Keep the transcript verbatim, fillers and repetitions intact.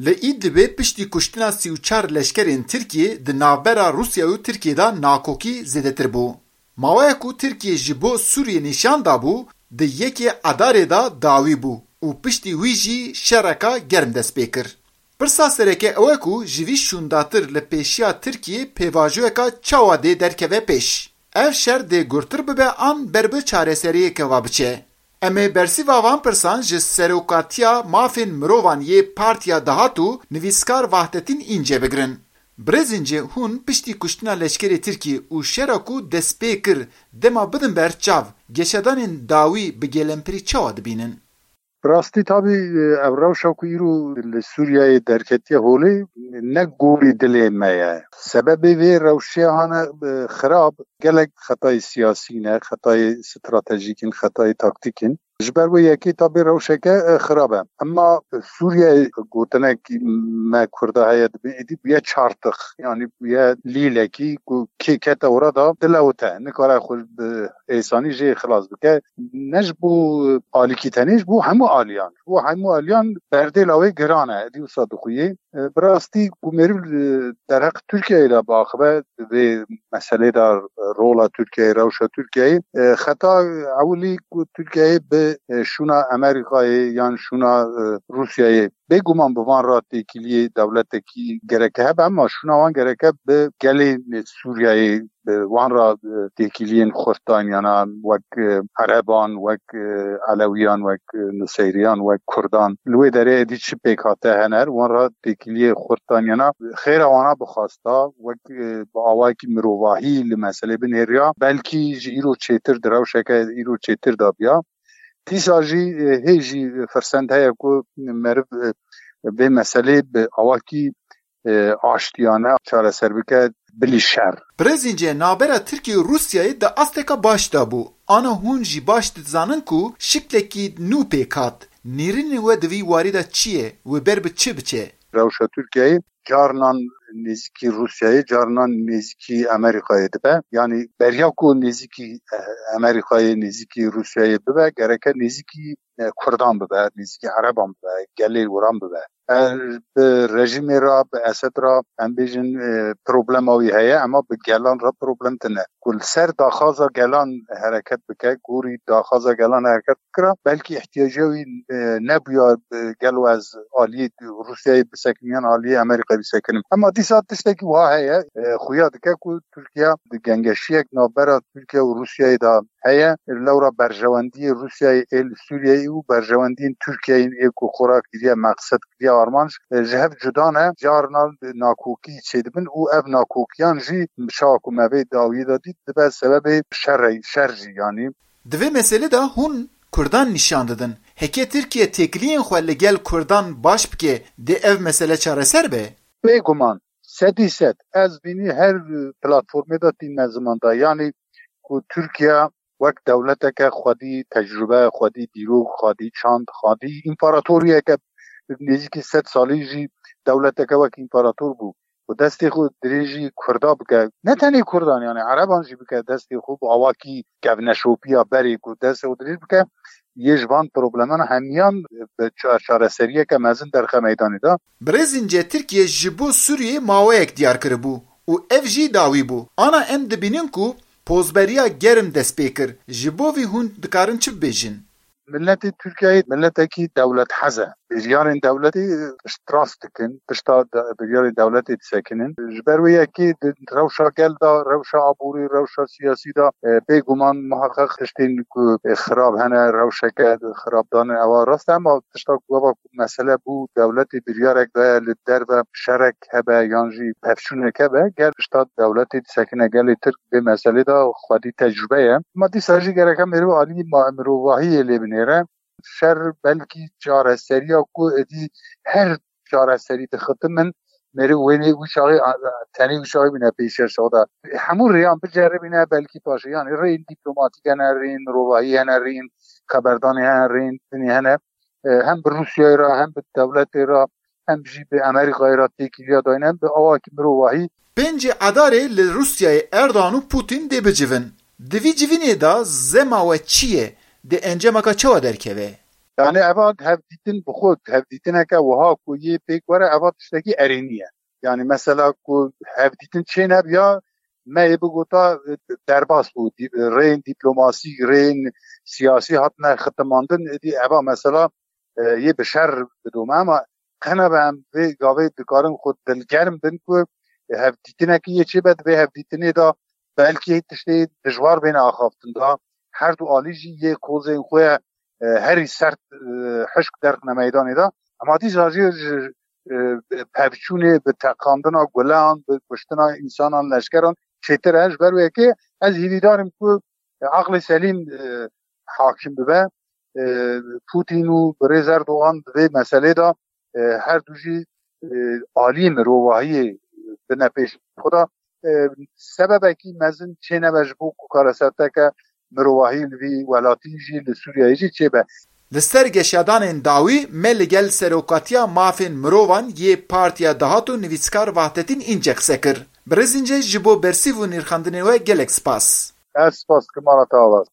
Li Îdlibê piştî kuştina sî û çar leşkerên Tirkiyê di navbera Rûsya û Tirkiyê de nakokî zêdetir bû. Maweyek ku Tirkiye ji bo Sûriyê nîşan dabû, di yekê Edarê de dawî bû û piştî wî jî şereka germ dest pê kir. Pirsa sereke ew e ku ji vî şûndatir li pêşiya Tirkiyê pêvajoyeka çawa dê derkeve pêş? Ev şer dê gurtir bibe an ber bi çareseriyeke ve biçe? Em ê bersîva van pirsan ji Serokatiya Mafên Mirovan yê Partiya Dahat û nivîskar Vahdetîn Înce bigirin. Birêz Înce, hûn piştî kuştina leşkerê Tirkiyê û şera ku destpê kir, dema bidin ber çav, geşedanên dawî bi gelemperî çawa dibînin? Bi rastî tabî, e, ev rewşa ku îro li Sûriyeyê derketiye holê ne gorî dilê me ye. Sebebê vê rewşê hane, e, xirab gelek xetayê siyasî ne, xetayê stratejîk in, xetayê taktîk in. Ji ber wê yekê tabî rewşeke, e, xirab e. Emma Sûriye gotinek me Kurda heye dibê êdî bûye çartix. Yanî bûye lîlekî ku kê kete ora da dilewite. Nikare xwe bi êsanî jê xilas bike. Ne ji bo alîkî tenê, ji bo hemû aliyan. Ji bo hemû aliyan berdêla wê giran e. Êdî wisa dixuye. E, bi rastî ku meriv, e, derheq Tirkiyeyê de biaxive, vê meselê de rola Tirkiyeyê, rewşa Tirkiyeyê, e, xeta ewilî ku Tirkiyeyê bi, e, şûna Amerîkayê yan şûna, e, Rûsyayê bêguman bi van re têkiliyê dewletekî gereke hebe, ema şûna wan gereke bi gelê Sûriyeyê, bi wan re, e, têkiliyên xurt dan, yana wek, e, Ereban, wek, e, Elewiyan, wek, e, Nuseyriyan, wek Kurdan. Li wê derê êdî çi pêkhate hene, wan re têkiliyê xurt dan, yana xêra wana bixwasta, wek, e, bi awayekî mirovahî li meselê binêriya, belkî ji îro çêtir di rewşeke îro çêtir de biya. Dîsa jî, e, hê jî firsend heye ku meriv, e, vê meselê bi awakî, e, aştiyane çareser bike, bilî şer. Birêz Înce, navbera Tirkiye û Rûsyayê di asteka baş de bû. Ana hûn jî baş dizanin ku şiklekî nû pêk hat. Nêrînên we di vî warî de çi ye? Wê ber bi çi biçe? Rewşa Tirkiyeyê carinan nêzîkî Rûsyayê, carinan nêzîkî Amerîkayê dibe. Yanî beriya ku nêzîkî, e, Amerîkayê, nêzîkî Rûsyayê bibe, gereke nêzîkî, e, Kurdan bibe, nêzîkî Ereban bibe, gelê wiran bibe. E, bi rejîmê re, bi Esed re, em bêjin, e, problema wî heye, ema bi gelan re problem tine. Ku li ser daxwaza gelan hereket bike, gorî daxwaza gelan hereket bikira, belkî ihtiyaca wî, e, nebûya, e, gelo ez aliyê Rûsyayê bisekinim yan aliyê Amerîkayê bisekinim. Ema dîsa tiştekî wiha heye, e, xuya dike ku Tirkiye di gengeşiyek navbera Tirkiye û Rûsyayê de heye. Lewra berjewendiyê Rûsyayê ê li Sûriyeyê û berjewendiyên Tirkiyeyê ê ku xwe re kiriye meqsed, kiriye armanc, e, ji hev cuda ne. Carna nakokî çêdibin û ev nakokiyan jî çawa ku me vê dawiyê de dît, dibe sebebê şerê, şer jî yanî. Di vê meselê de hûn Kurdan nîşan didin. Heke Tirkiye têkiliyên xwe li gel Kurdan baş bike, dê ev mesele çareser be? Bêguman, sedî sed. Ez bînî her platformê de tînme ziman de. Yanî ku Tirkiye wek dewleteke xwedî tecrube, xwedî dîrok, xwedî çand, xwedî împaratoriyeke nêzîkî sed salî jî dewleteke wek împarator bû. Ku destê xwe dirêjî Kurda bike, ne tenê Kurdan, yani Ereban jî bike, destê xwe bi awakî kevneşopiya berê ku destê xwe dirêj bike, yê ji van probleman hemiyan bi ça-, çareseriyeke mezin derxe meydanê de. Birêz Înce, Tirkiye ji bo Sûriyê maweyek diyar kiribû û ev jî dawî bû. Ana em dibînin ku pozberiya germ dest pê kir. Ji bo vî hûn dikarin çi bibêjin? Miletê Tirkiyeyê miletekî dewlethez e. Biryarên dewletê piştrast dikin, pişta de-, biryarên dewletê disekinin. Ji ber wê yekê di rewşa gel de, rewşa aborî, rewşa siyasî de, e, bêguman muheqeq tiştên ku, e, xirab hene, rewşeke xirabdan e, ewa rast e, ema tişta ku gava ku mesele bû, dewletê biryarek daye li derve şerek hebe yan jî pevçûnek hebe, gel pişta dewletê disekine, gelê Tirk vê meselê de xwedî tecrube ye. Ma dîsa jî gereke meriv alî ma-, mirovahiyê lê binêre. Şer belkî çareseriya ku êdî her çareserî dixitimin, meriv wênê wî çaxê, a, a, tenê wî çaxê bîne pêşiya şoda. Hemû rêyan biceribîne, belkî paşê, yanî rêyên dîplomatîk hene, rêyên mirovahî hene, rêyên xeberdanê hene, rêyên dinê hene. E, hem bi Rûsyayê re, hem bi dewletê re, hem jî bi Amerîkayê re têkiliya dayîn, hem bi awakî mirovahî. Pêncê Edarê li Rûsyayê Erdogan û Putin dê bicivin. Di vî civînê de zema we çi ye? Dê encameka çawa derkeve? Yani eva hevdîtin bi xwe, hevdîtineke wiha ku yê pêk were, eva tiştekî erênî ye. Yani mesela ku hevdîtin çê nebiya, me yê bigota, e, derbas bû. Dî-, rêyên dîplomasî, rêyên siyasî hatine xitimandin, êdî eva mesela, e, yê bi şer bidome, ama qene be em vê gavê dikarin xwe dilgerm bin ku hevdîtinekî yê çêbe, di vê hevdîtinê de belkî tiştê dijwar bêne axaftin da, her du alî jî yê kozên xwe, e, herî sert, e, hişk derxine meydanê de. Ema dîsa jî ji, e, pevçûnê, bi teqandina gulan, bi kuştina însanan, leşkeran çêtir e. Ji ber wê yekê ez hîvîdar im ku, e, aqlê selîm, e, hakim bibe. E, Putin û birêz Erdogan di vê meselê de, e, her du jî, e, aliyê mirovahiyê bine pêş xwe de, e, sebebekî mezin çênebe ji bo ku kareseteke mirovahî li vî welatî jî, li Sûriyeyê jî çêbe. Li ser geşadanên dawî me li gel Serokatiya Mafên Mirovan yê Partiya Dahat û nivîskar Vahdetîn Înce qise kir. Birêz Înce, ji bo bersîv û nirxandinê we gelek spas. Ez spas dikim, mala te ava.